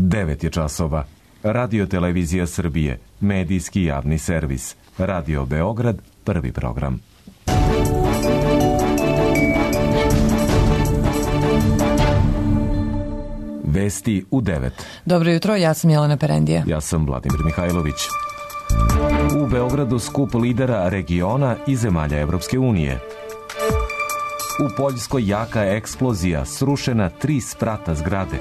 9 je časova. Radio Televizija Srbije, medijski javni servis. Radio Beograd, prvi program. Vesti u 9. Dobro jutro, ja sam Jelena Perendija. Ja sam Vladimir Mihajlović. U Beogradu skup lidera regiona i zemalja Evropske unije. U Poljskoj jaka eksplozija, srušena 3 sprata zgrade.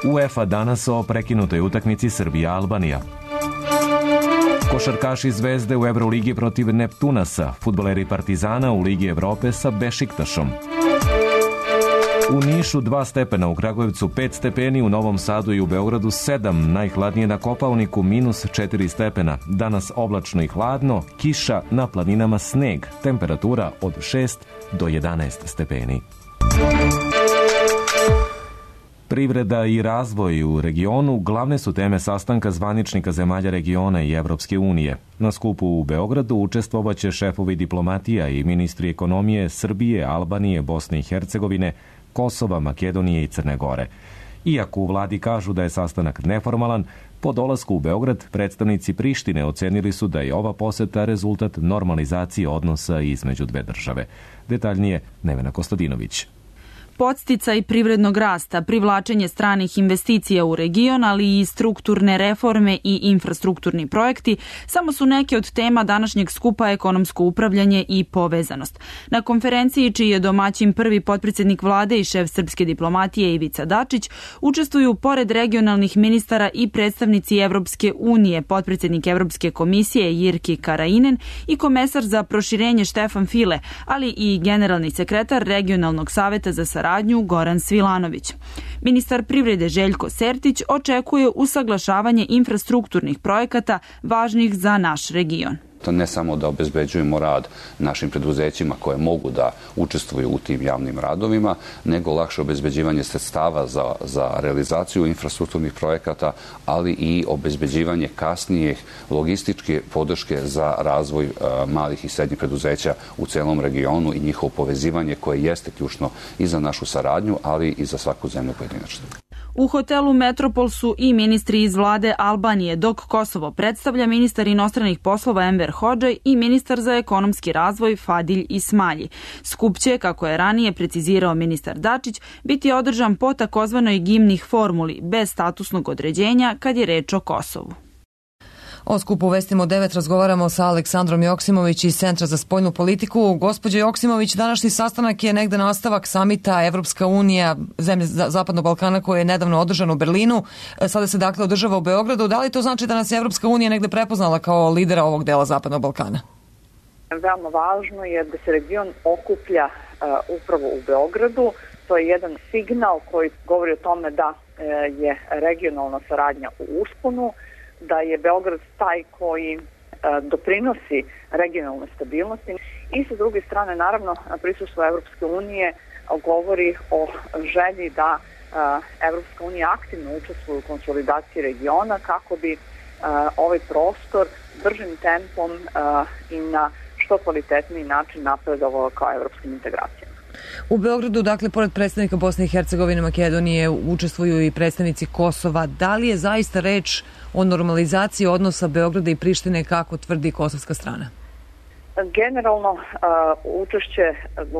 UEFA danas o prekinutoj utakmici Srbija-Albanija. Košarkaši Zvezde u Evroligi protiv Neptunasa, fudbaleri Partizana u Ligi Evrope sa Bešiktašom. U Nišu 2 stepena, u Kragujevcu 5 stepeni, u Novom Sadu i u Beogradu 7, najhladnije na Kopaoniku -4 stepena. Danas oblačno i hladno, kiša, na planinama sneg, temperatura od 6 do 11 stepeni. Privreda i razvoj u regionu glavne su teme sastanka zvaničnika zemalja regiona i Evropske unije. Na skupu u Beogradu učestvovaće šefovi diplomatija i ministri ekonomije Srbije, Albanije, Bosne i Hercegovine, Kosova, Makedonije i Crne Gore. Iako u vladi kažu da je sastanak neformalan, po dolasku u Beograd predstavnici Prištine ocenili su da je ova poseta rezultat normalizacije odnosa između dve države. Detaljnije Nevena Kostadinović. Podsticaj privrednog rasta, privlačenje stranih investicija u region, ali i strukturne reforme i infrastrukturni projekti samo su neke od tema današnjeg skupa ekonomsko upravljanje i povezanost. Na konferenciji, čiji je domaćin prvi potpredsjednik vlade i šef srpske diplomatije Ivica Dačić, učestvuju pored regionalnih ministara i predstavnici Evropske unije, potpredsjednik Evropske komisije Jirki Karainen i komesar za proširenje Štefan File, ali i generalni sekretar regionalnog saveta za saradnju Goran Svilanović. Ministar privrede Željko Sertić očekuje usaglašavanje infrastrukturnih projekata važnih za naš region. Ne samo da obezbeđujemo rad našim preduzećima koje mogu da učestvuju u tim javnim radovima, nego lakše obezbeđivanje sredstava za realizaciju infrastrukturnih projekata, ali i obezbeđivanje kasnijih logističke podrške za razvoj malih i srednjih preduzeća u celom regionu i njihovo povezivanje koje jeste ključno i za našu saradnju, ali i za svaku zemlju pojedinačno. U hotelu Metropol su i ministri iz vlade Albanije, dok Kosovo predstavlja ministar inostranih poslova Enver Hodžaj i ministar za ekonomski razvoj Fadilj Ismalji. Skup će, kako je ranije precizirao ministar Dačić, biti održan po takozvanoj gimnih formuli, bez statusnog određenja kad je reč o Kosovu. O skupu Vestima u 9 razgovaramo sa Aleksandrom Joksimović iz Centra za spoljnu politiku. Gospođo Joksimović, današnji sastanak je negde nastavak samita Evropska unija, zemlje Zapadnog Balkana, koji je nedavno održan u Berlinu. Sada se dakle održava u Beogradu. Da li to znači da nas je Evropska unija negde prepoznala kao lidera ovog dela Zapadnog Balkana? Veoma važno je da se region okuplja upravo u Beogradu. To je jedan signal koji govori o tome da je regionalna saradnja u usponu, da je Beograd taj koji doprinosi regionalnoj stabilnosti i sa druge strane naravno prisustvo Evropske unije govori o želji da Evropska unija aktivno učestvuje u konsolidaciji regiona kako bi ovaj prostor bržim tempom i na što kvalitetniji način napredovao kao evropskim integracijama. U Beogradu, dakle, pored predstavnika Bosne i Hercegovine, Makedonije, učestvuju i predstavnici Kosova. Da li je zaista reč o normalizaciji odnosa Beograda i Prištine, kako tvrdi kosovska strana? Generalno, učešće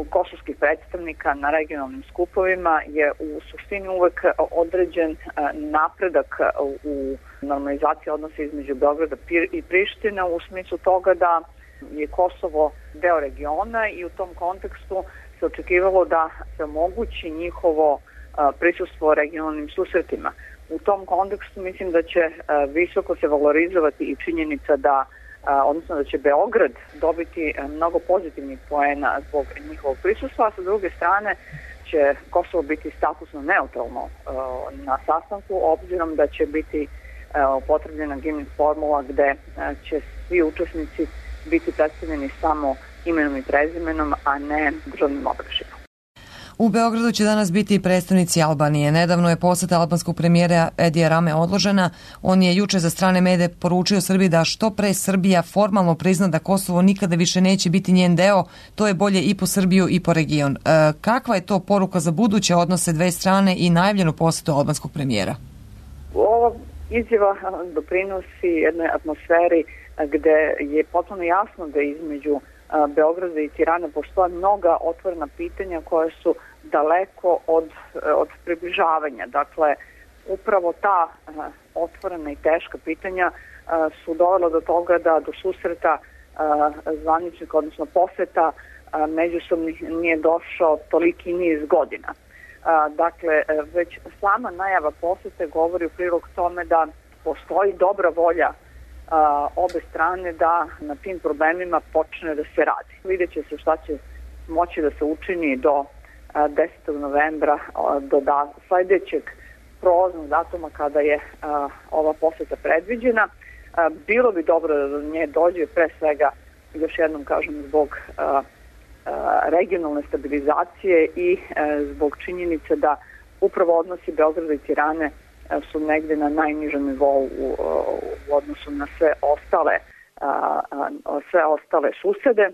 kosovskih predstavnika na regionalnim skupovima je u suštini uvek određen napredak u normalizaciji odnosa između Beograda i Prištine u smislu toga da je Kosovo deo regiona i u tom kontekstu se očekivalo da se omogući njihovo prisustvo regionalnim susretima. U tom kontekstu mislim da će visoko se valorizovati i činjenica da odnosno da će Beograd dobiti mnogo pozitivnih poena zbog njihovog prisustva, a sa druge strane će Kosovo biti statusno neutralno na sastanku, obzirom da će biti upotrebljena gimnih formula gde će svi učesnici biti predstavljeni samo imenom i prezimenom, a ne državnim obeležjima. U Beogradu će danas biti predstavnici Albanije. Nedavno je poseta albanskog premijera Edija Rame odložena. On je juče za strane medije poručio Srbiji da što pre Srbija formalno prizna da Kosovo nikada više neće biti njen deo, to je bolje i po Srbiju i po region. Kakva je to poruka za buduće odnose dve strane i najavljenu posetu albanskog premijera? Ova izjava doprinosi jednoj atmosferi gde je potpuno jasno da između Beograda i Tirane postoje mnoga otvorena pitanja koja su daleko od približavanja. Dakle, upravo ta otvorena i teška pitanja su dovela do toga da do susreta zvaničnika, odnosno poseta međusobnih nije došao toliki niz godina. Dakle, već sama najava posete govori u prilog tome da postoji dobra volja obe strane da na tim problemima počne da se radi. Vidjet će se šta će moći da se učini do 10. novembra, do sledećeg prolaznog datuma kada je ova poseta predviđena. Bilo bi dobro da do nje dođe, pre svega, još jednom kažem, zbog regionalne stabilizacije i zbog činjenice da upravo odnosi Beograda i Tirane su negde na najnižem nivou u odnosu na sve ostale susede.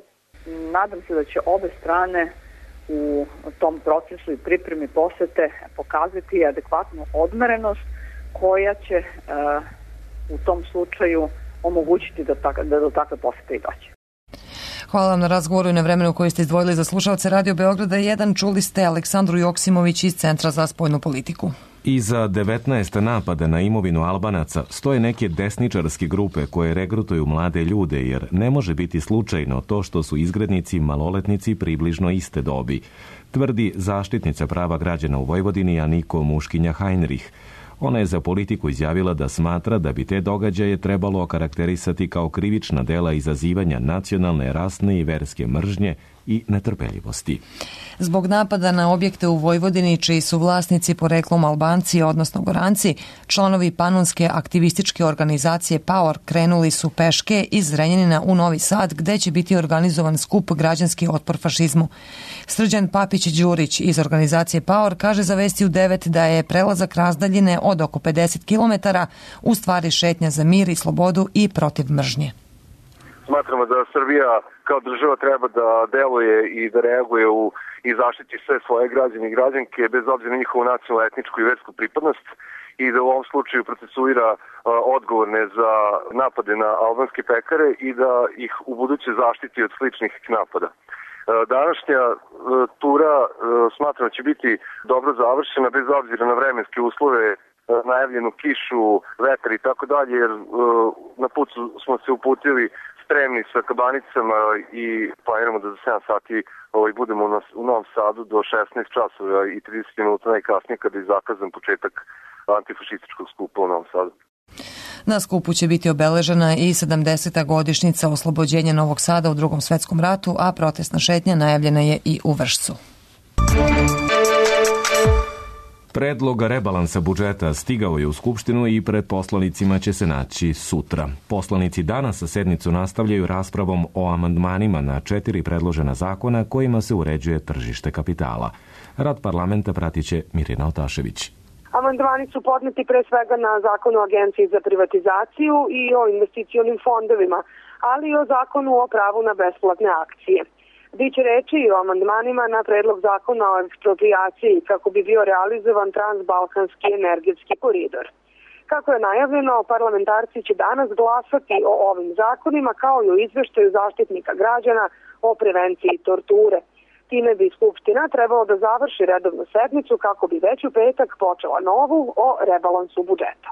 Nadam se da će obe strane u tom procesu i pripremi posete pokazati adekvatnu odmerenost koja će u tom slučaju omogućiti da do takve posete i dođe. Hvala vam na razgovoru i na vremenu koji ste izdvojili za slušalce Radio Beograda 1. Čuli ste Aleksandru Joksimović iz Centra za spoljnu politiku. Iza 19 napada na imovinu Albanaca stoje neke desničarske grupe koje regrutuju mlade ljude, jer ne može biti slučajno to što su izgrednici maloletnici približno iste dobi, tvrdi zaštitnica prava građana u Vojvodini Aniko Muškinja-Heinrich. Ona je za Politiku izjavila da smatra da bi te događaje trebalo okarakterisati kao krivična dela izazivanja nacionalne, rasne i verske mržnje i netrpeljivosti. Zbog napada na objekte u Vojvodini, čiji su vlasnici poreklom Albanci, odnosno Goranci, članovi panonske aktivističke organizacije Power krenuli su peške iz Zrenjanina u Novi Sad, gde će biti organizovan skup Građanski otpor fašizmu. Srđan Papić-Đurić iz organizacije Power kaže za Vesti u 9 da je prelazak razdaljine od oko 50 km u stvari šetnja za mir i slobodu i protiv mržnje. Smatramo da Srbija kao država treba da deluje i da reaguje i zaštiti sve svoje građane i građanke bez obzira na njihovu nacionalnu, etničku i versku pripadnost i da u ovom slučaju procesuira odgovorne za napade na albanske pekare i da ih u buduće zaštiti od sličnih napada. Današnja tura smatram da će biti dobro završena bez obzira na vremenske uslove, najavljenu kišu, vetar i tako dalje, jer na put smo se uputili spremni sa kabanicama i planiramo da za 7 sati budemo u Novom Sadu do 16 časova i 30 minuta najkasnije kada je zakazan početak antifašističkog skupa u Novom Sadu. Na skupu će biti obeležena i 70. godišnjica oslobođenja Novog Sada u Drugom svetskom ratu, a protestna šetnja najavljena je i u Vršcu. Predlog rebalansa budžeta stigao je u Skupštinu i pred poslanicima će se naći sutra. Poslanici danas sa sednicu nastavljaju raspravom o amandmanima na 4 predložena zakona kojima se uređuje tržište kapitala. Rad parlamenta pratiće Mirina Otašević. Amandmani su podneti pre svega na Zakon o agenciji za privatizaciju i o investicionim fondovima, ali i o Zakonu o pravu na besplatne akcije. Biće reči i o amandmanima na predlog zakona o eksproprijaciji kako bi bio realizovan transbalkanski energetski koridor. Kako je najavljeno, parlamentarci će danas glasati o ovim zakonima kao i o izveštaju zaštitnika građana o prevenciji torture. Time bi Skupština trebalo da završi redovnu sednicu kako bi već u petak počela novu o rebalansu budžeta.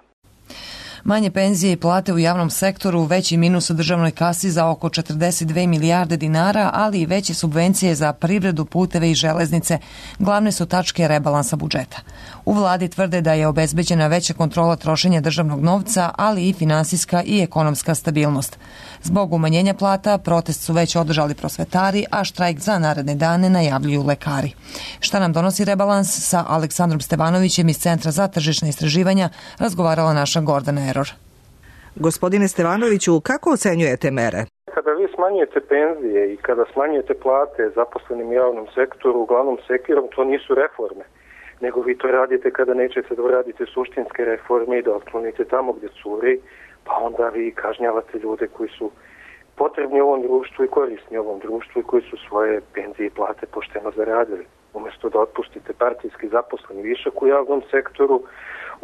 Manje penzije i plate u javnom sektoru, veći minus u državnoj kasi za oko 42 milijarde dinara, ali i veće subvencije za privredu, puteve i železnice glavne su tačke rebalansa budžeta. U vladi tvrde da je obezbeđena veća kontrola trošenja državnog novca, ali i finansijska i ekonomska stabilnost. Zbog umanjenja plata, protest su već održali prosvetari, a štrajk za naredne dane najavljuju lekari. Šta nam donosi rebalans? Sa Aleksandrom Stevanovićem iz Centra za tržišna istraživanja razgovarala naša Gordana Eror. Gospodine Stevanoviću, kako ocenjujete mere? kada vi smanjujete penzije i kada smanjujete plate zaposlenim u javnom sektoru, uglavnom sekirom, to nisu reforme. Nego vi to radite kada nećete da uradite suštinske reforme i da otklonite tamo gdje curi, pa onda vi kažnjavate ljude koji su potrebni ovom društvu i korisni ovom društvu i koji su svoje penzije i plate pošteno zaradili. Umjesto da otpustite partijski zaposleni višak u javnom sektoru,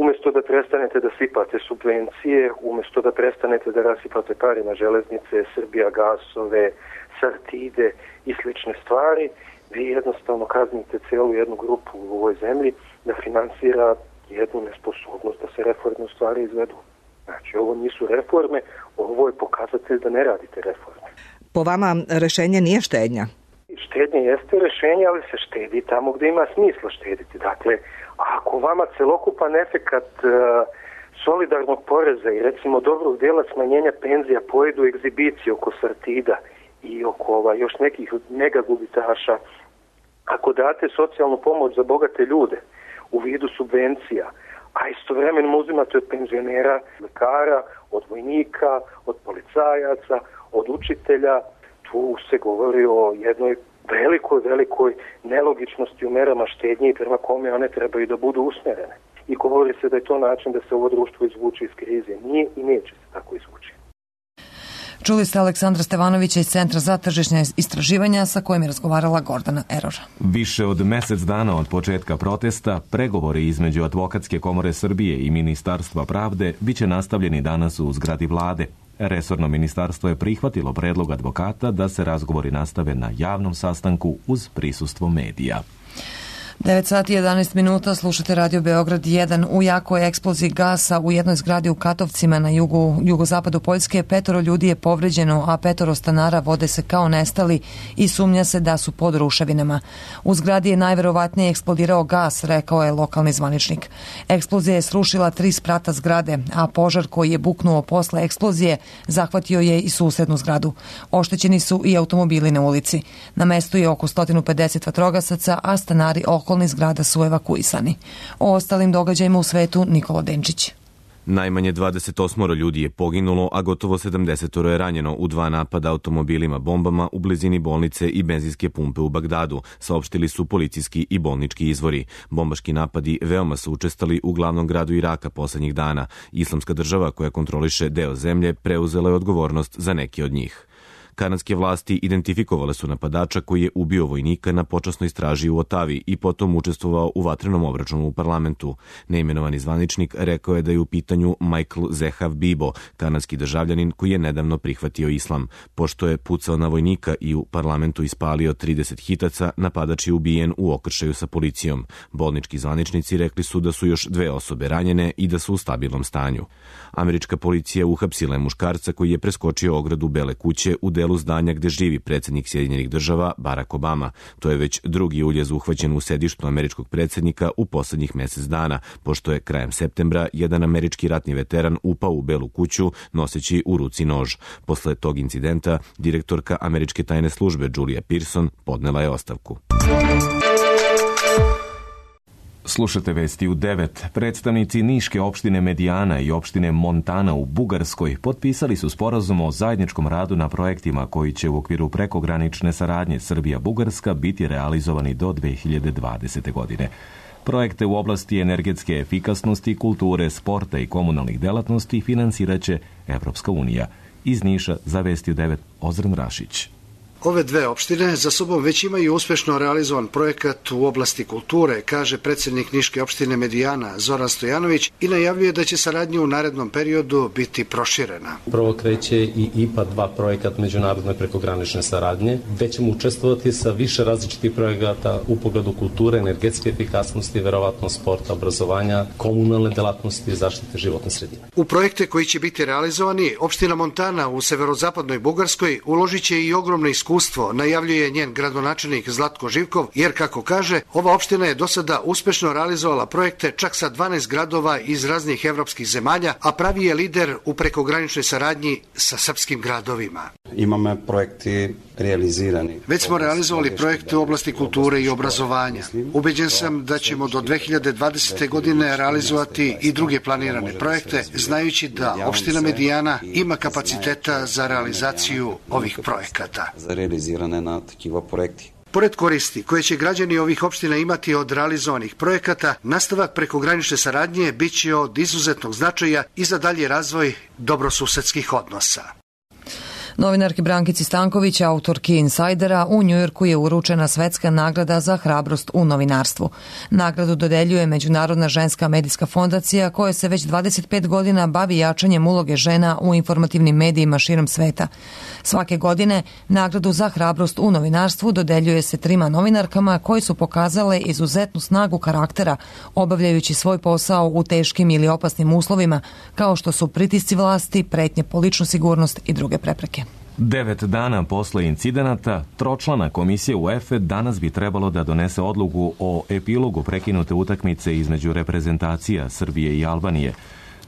umjesto da prestanete da sipate subvencije, umjesto da prestanete da rasipate pare na železnice, Srbija gasove, Sartide i slične stvari, vi jednostavno kaznite celu jednu grupu u ovoj zemlji da finansira jednu nesposobnost da se reforme u stvari izvedu. Znači, ovo nisu reforme, ovo je pokazatelj da ne radite reforme. Po vama rešenje nije štednja? Štednje jeste rešenje, ali se štedi tamo gde ima smisla štediti. Dakle, ako vama celokupan efekat solidarnog poreza i recimo dobrog dela smanjenja penzija pojedu egzibicije oko Sartida i oko još nekih mega gubitaša, ako date socijalnu pomoć za bogate ljude u vidu subvencija, a istovremeno uzimate od penzionera, lekara, od vojnika, od policajaca, od učitelja, tu se govori o jednoj velikoj nelogičnosti u merama štednje i prema kome one trebaju da budu usmerene. I govori se da je to način da se ovo društvo izvuče iz krize. Nije i neće se tako izvući. Čuli ste Aleksandra Stevanovića iz Centra za tržišne istraživanja sa kojim je razgovarala Gordana Erora. Više od mesec dana od početka protesta, pregovori između Advokatske komore Srbije i Ministarstva pravde biće nastavljeni danas u zgradi vlade. Resorno ministarstvo je prihvatilo predlog advokata da se razgovori nastave na javnom sastanku uz prisustvo medija. 9 sati 11 minuta, slušate Radio Beograd 1. U jakoj eksploziji gasa u jednoj zgradi u Katovcima na jugozapadu Poljske 5 ljudi je povređeno, a 5 stanara vode se kao nestali i sumnja se da su pod ruševinama. U zgradi je najverovatnije eksplodirao gas, rekao je lokalni zvaničnik. Eksplozija je srušila 3 sprata zgrade, a požar koji je buknuo posle eksplozije zahvatio je i susednu zgradu. Oštećeni su i automobili na ulici. Na mestu je oko 150 vatrogasaca, a stanari okolnih zgrada su evakuisani. O ostalim događajima u svetu Nikola Denčić. Najmanje 28 ljudi je poginulo, a gotovo 70 je ranjeno u 2 napada automobilima bombama u blizini bolnice i benzinske pumpe u Bagdadu, saopštili su policijski i bolnički izvori. Bombaški napadi veoma su učestali u glavnom gradu Iraka poslednjih dana. Islamska država koja kontroliše deo zemlje preuzela je odgovornost za neke od njih. Kanadske vlasti identifikovale su napadača koji je ubio vojnika na počasnoj straži u Otavi i potom učestvovao u vatrenom obračunu u parlamentu. Neimenovani zvaničnik rekao je da je u pitanju Michael Zehav Bibo, kanadski državljanin koji je nedavno prihvatio islam. Pošto je pucao na vojnika i u parlamentu ispalio 30 hitaca, napadač je ubijen u okršaju sa policijom. Bolnički zvaničnici rekli su da su još 2 osobe ranjene i da su u stabilnom stanju. Američka policija uhapsila je muškarca koji je preskočio ogradu Bele kuće u delu zdanja gde živi predsjednik Sjedinjenih država Barack Obama. To je već drugi uljez uhvaćen u sedištu američkog predsjednika u poslednjih mesec dana, pošto je krajem septembra jedan američki ratni veteran upao u Belu kuću noseći u ruci nož. Posle tog incidenta direktorka američke tajne službe Julia Pearson podnela je ostavku. Slušate vesti u 9. Predstavnici Niške opštine Medijana i opštine Montana u Bugarskoj potpisali su sporazum o zajedničkom radu na projektima koji će u okviru prekogranične saradnje Srbija-Bugarska biti realizovani do 2020. godine. Projekte u oblasti energetske efikasnosti, kulture, sporta i komunalnih delatnosti finansiraće Evropska unija. Iz Niša za vesti u 9. Ozren Rašić. Ove 2 opštine za sobom već imaju uspešno realizovan projekat u oblasti kulture, kaže predsjednik Niške opštine Medijana Zoran Stojanović i najavljuje da će saradnja u narednom periodu biti proširena. Prvo kreće i IPA 2 projekat međunarodne prekogranične saradnje, gde ćemo učestvovati sa više različitih projekata u pogledu kulture, energetske efikasnosti, verovatno sporta, obrazovanja, komunalne delatnosti i zaštite životne sredine. U projekte koji će biti realizovani, opština Montana u severozapadnoj Bugarskoj uložit će i ogromno iskustvo, najavljuje njen gradonačelnik Zlatko Živkov, jer kako kaže, ova opština je do sada uspešno realizovala projekte čak sa 12 gradova iz raznih evropskih zemalja, a pravi je lider u prekograničnoj saradnji sa srpskim gradovima. Imamo projekti realizirani. Već smo realizovali projekte u oblasti kulture i obrazovanja. Ubeđen sam da ćemo do 2020. godine realizovati i druge planirane projekte, znajući da opština Medijana ima kapaciteta za realizaciju ovih projekata. Za realizirane na takiva projekti. Pored koristi koje će građani ovih opština imati od realizovanih projekata, nastavak prekogranične saradnje bit će od izuzetnog značaja i za dalji razvoj dobrosusedskih odnosa. Novinarki Brankici Stanković, autorki Insajdera, u Njujorku je uručena svetska nagrada za hrabrost u novinarstvu. Nagradu dodeljuje Međunarodna ženska medijska fondacija koja se već 25 godina bavi jačanjem uloge žena u informativnim medijima širom sveta. Svake godine nagradu za hrabrost u novinarstvu dodeljuje se 3 novinarkama koji su pokazale izuzetnu snagu karaktera obavljajući svoj posao u teškim ili opasnim uslovima kao što su pritisci vlasti, pretnje po ličnu sigurnost i druge prepreke. 9 dana posle incidenata, tročlana komisija UEFA danas bi trebalo da donese odluku o epilogu prekinute utakmice između reprezentacija Srbije i Albanije.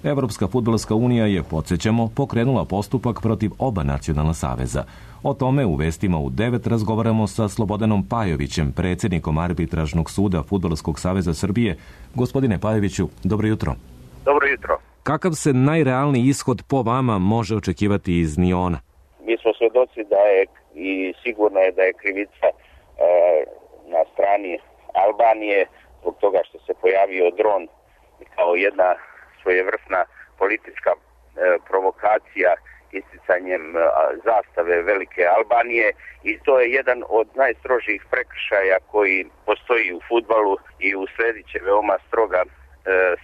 Evropska fudbalska unija je, podsjećamo, pokrenula postupak protiv oba nacionalna saveza. O tome u vestima u 9 razgovaramo sa Slobodanom Pajovićem, predsjednikom Arbitražnog suda Fudbalskog saveza Srbije. Gospodine Pajoviću, dobro jutro. Dobro jutro. Kakav se najrealniji ishod po vama može očekivati iz Niona? Mi smo svedoci da je i sigurno je da je krivica na strani Albanije zbog toga što se pojavio dron kao jedna svojevrsna politička provokacija isticanjem zastave Velike Albanije i to je jedan od najstrožijih prekršaja koji postoji u fudbalu i usledit će veoma stroga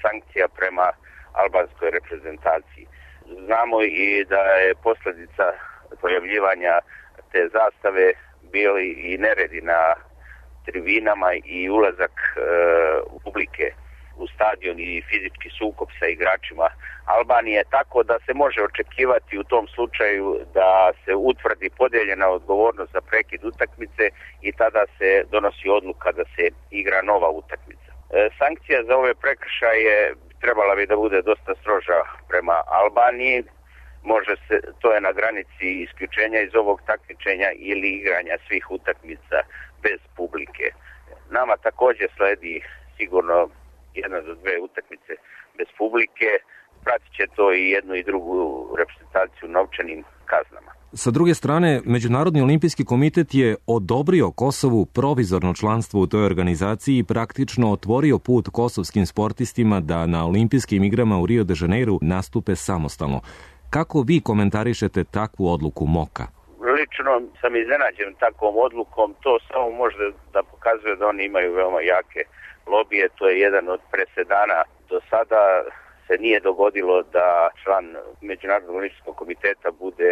sankcija prema albanskoj reprezentaciji. Znamo i da je posljedica pojavljivanja te zastave bili i neredi na tribinama i ulazak publike u stadion i fizički sukob sa igračima Albanije, tako da se može očekivati u tom slučaju da se utvrdi podijeljena odgovornost za prekid utakmice i tada se donosi odluka da se igra nova utakmica. Sankcija za ove prekršaje trebala bi da bude dosta stroža prema Albaniji. To je na granici isključenja iz ovog takmičenja ili igranja svih utakmica bez publike. Nama također sledi sigurno 1 do 2 utakmice bez publike. Pratit će to i jednu i drugu reprezentaciju novčanim kaznama. Sa druge strane, Međunarodni olimpijski komitet je odobrio Kosovu provizorno članstvo u toj organizaciji i praktično otvorio put kosovskim sportistima da na olimpijskim igrama u Rio de Janeiru nastupe samostalno. Kako vi komentarišete takvu odluku MOKA? Lično sam iznenađen takvom odlukom. To samo može da pokazuje da oni imaju veoma jake lobije. To je jedan od presedana. Do sada se nije dogodilo da član Međunarodnog olimpijskog komiteta bude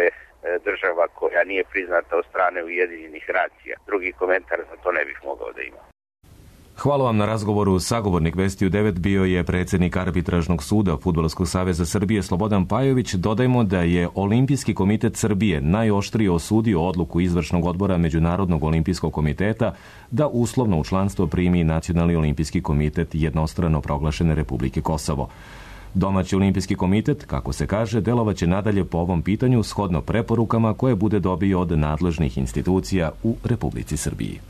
država koja nije priznata od strane Ujedinjenih nacija. Drugi komentar za to ne bih mogao da imam. Hvala vam na razgovoru. Sagovornik Vesti u 9 bio je predsjednik Arbitražnog suda Fudbalskog saveza Srbije Slobodan Pajović. Dodajmo da je Olimpijski komitet Srbije najoštrije osudio odluku izvršnog odbora Međunarodnog olimpijskog komiteta da uslovno u članstvo primi Nacionalni olimpijski komitet jednostrano proglašene Republike Kosovo. Domaći olimpijski komitet, kako se kaže, delovaće nadalje po ovom pitanju shodno preporukama koje bude dobio od nadležnih institucija u Republici Srbiji.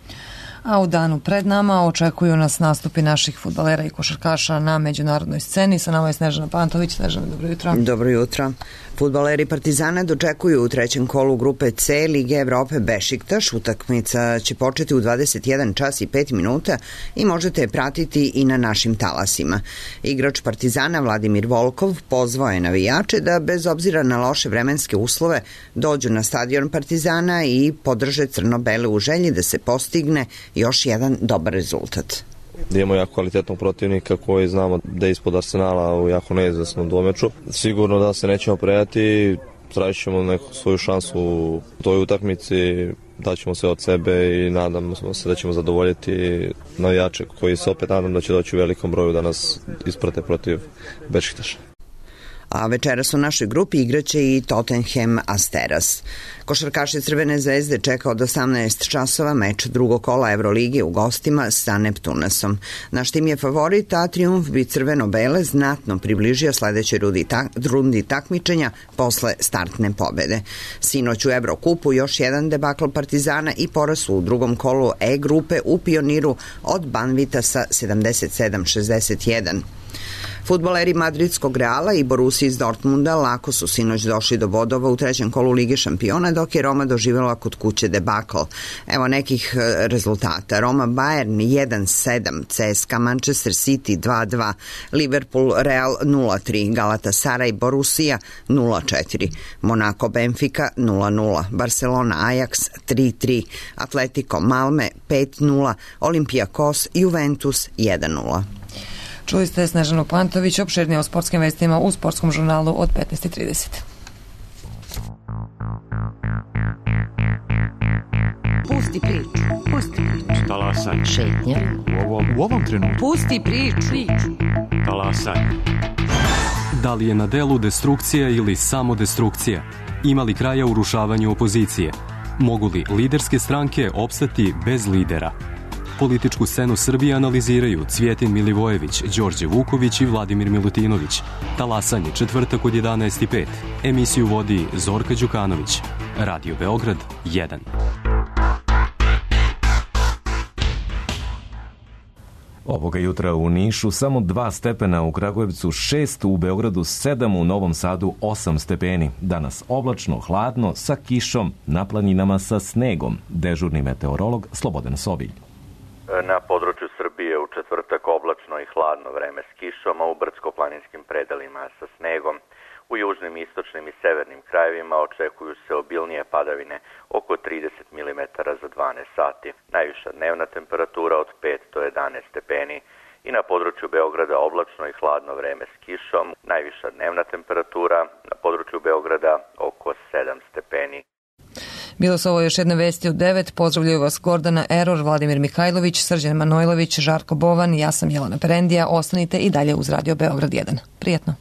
A u danu pred nama očekuju nas nastupi naših fudbalera i košarkaša na međunarodnoj sceni. Sa nama je Snežana Pantović. Snežana, dobro jutro. Dobro jutro. Fudbaleri Partizana dočekuju u trećem kolu grupe C Lige Evrope Bešiktaš. Utakmica će početi u 21 čas i 5 minuta i možete je pratiti i na našim talasima. Igrač Partizana Vladimir Volkov pozvao je navijače da bez obzira na loše vremenske uslove dođu na stadion Partizana i podrže crno-bele u želji da se postigne još jedan dobar rezultat. Imamo jako kvalitetnog protivnika koji znamo da je ispod Arsenala u jako neizvesnom dvomeču. Sigurno da se nećemo predati, tražit ćemo neku svoju šansu u toj utakmici, daćemo sve od sebe i nadamo se da ćemo zadovoljiti navijače koji se opet nadam da će doći u velikom broju da nas isprate protiv Bešiktaša. A večeras u našoj grupi igraće i Tottenham Asteras. Košarkaši Crvene zvezde čeka od 18 časova meč drugog kola Evrolige u gostima sa Neptunasom. Naš tim je favorit, a trijumf bi crveno-bele znatno približio sledećoj rundi takmičenja posle startne pobede. Sinoć u Evrokupu još jedan debakl Partizana i poraz u drugom kolu E grupe u Pioniru od Banvita sa 77-61. Fudbaleri madridskog Reala i Borussia iz Dortmunda lako su sinoć došli do bodova u trećem kolu Lige šampiona, dok je Roma doživjela kod kuće debakl. Evo nekih rezultata. Roma Bayern 1-7, CSKA Manchester City 2-2, Liverpool Real 0-3, Galatasaray Borussia 0-4, Monaco Benfica 0-0, Barcelona Ajax 3-3, Atletico Malme 5-0, Olympiakos Juventus 1-0. Čuli ste Snežanu Pantović, opširnije o sportskim vestima u sportskom žurnalu od 15:30. Pusti priču. Talasaj. Šetnja. U ovom trenutku. Pusti priču. Talasaj. Da li je na delu destrukcija ili samo destrukcija? Ima li kraja urušavanju opozicije? Mogu li liderske stranke opstati bez lidera? Političku scenu Srbije analiziraju Cvjetin Milivojević, Đorđe Vuković i Vladimir Milutinović. Talasanje, četvrtak od 11:05. Emisiju vodi Zorka Đukanović. Radio Beograd 1. Ovoga jutra u Nišu samo 2 stepena, u Kragujevcu 6, u Beogradu 7, u Novom Sadu 8 stepeni. Danas oblačno, hladno, sa kišom, na planinama sa snegom. Dežurni meteorolog Slobodan Sobilj. Na području Srbije u četvrtak oblačno i hladno vreme s kišom, a u brdsko-planinskim predelima sa snegom. U južnim, istočnim i severnim krajevima očekuju se obilnije padavine oko 30 mm za 12 sati. Najviša dnevna temperatura od 5 do 11 stepeni. I na području Beograda oblačno i hladno vreme s kišom. Najviša dnevna temperatura na području Beograda oko 7 stepeni. Bilo su ovo još jedne vesti u 9. Pozdravljaju vas Gordana Eror, Vladimir Mihajlović, Srđan Manojlović, Žarko Bovan, ja sam Jelena Perendija. Ostanite i dalje uz Radio Beograd 1. Prijetno.